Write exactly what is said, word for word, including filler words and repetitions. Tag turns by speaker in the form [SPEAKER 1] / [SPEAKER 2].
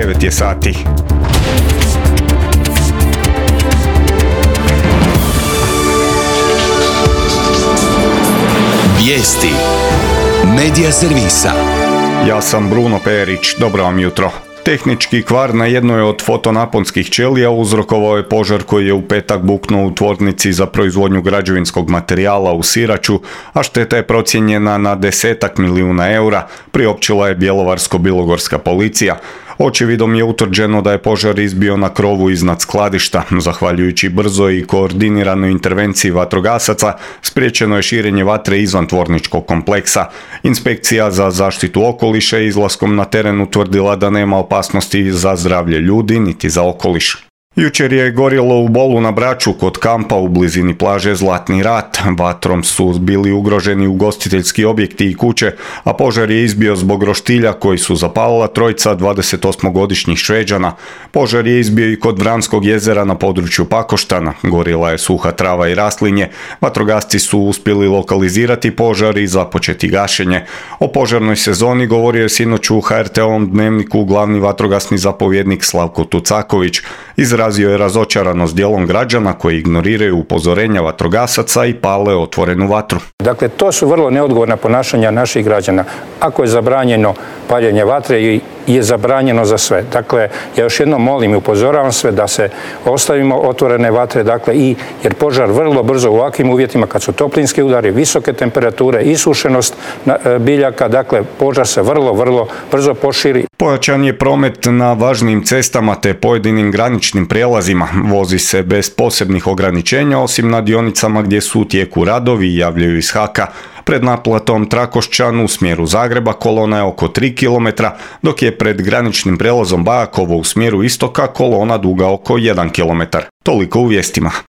[SPEAKER 1] devet je sati.
[SPEAKER 2] Vijesti Medija servisa.
[SPEAKER 1] Ja sam Bruno Perić, dobro vam jutro. Tehnički kvar na jednoj od fotonaponskih ćelija uzrokovao je požar koji je u petak buknuo u tvornici za proizvodnju građevinskog materijala u Siraču, a šteta je procijenjena na desetak milijuna eura, priopćila je bjelovarsko-bilogorska policija. Očevidom je utvrđeno da je požar izbio na krovu iznad skladišta. Zahvaljujući brzoj i koordiniranoj intervenciji vatrogasaca, spriječeno je širenje vatre izvan tvorničkog kompleksa. Inspekcija za zaštitu okoliša je izlaskom na teren utvrdila da nema opasnosti za zdravlje ljudi niti za okoliš. Jučer je gorjelo u Bolu na Braču kod kampa u blizini plaže Zlatni rat. Vatrom su bili ugroženi ugostiteljski objekti i kuće, a požar je izbio zbog roštilja koji su zapalila trojica dvadesetosmogodišnjih Šveđana. Požar je izbio i kod Vranskog jezera na području Pakoštana. Gorjela je suha trava i raslinje. Vatrogasci su uspjeli lokalizirati požar i započeti gašenje. O požarnoj sezoni govorio je sinoć u ha er te ovom dnevniku glavni vatrogasni zapovjednik Slavko Tucaković. Izrazio je razočaranost dijelom građana koji ignoriraju upozorenja vatrogasaca i pale otvorenu vatru.
[SPEAKER 3] Dakle, to su vrlo neodgovorna ponašanja naših građana. Ako je zabranjeno paljenje vatre, je zabranjeno za sve. Dakle, ja još jednom molim i upozoravam sve da se ostavimo otvorene vatre, dakle, i jer požar vrlo brzo u ovakvim uvjetima, kad su toplinski udari, visoke temperature, isušenost biljaka, dakle, požar se vrlo, vrlo brzo poširi.
[SPEAKER 1] Pojačan je promet na važnim cestama te pojedinim graničnim prijelazima. Vozi se bez posebnih ograničenja, osim na dionicama gdje su u tijeku radovi, javljaju iz Haka. Pred naplatom Trakošćan u smjeru Zagreba kolona je oko tri kilometra, dok je pred graničnim prijelazom Bajakovo u smjeru istoka kolona duga oko jedan kilometar. Toliko u vijestima.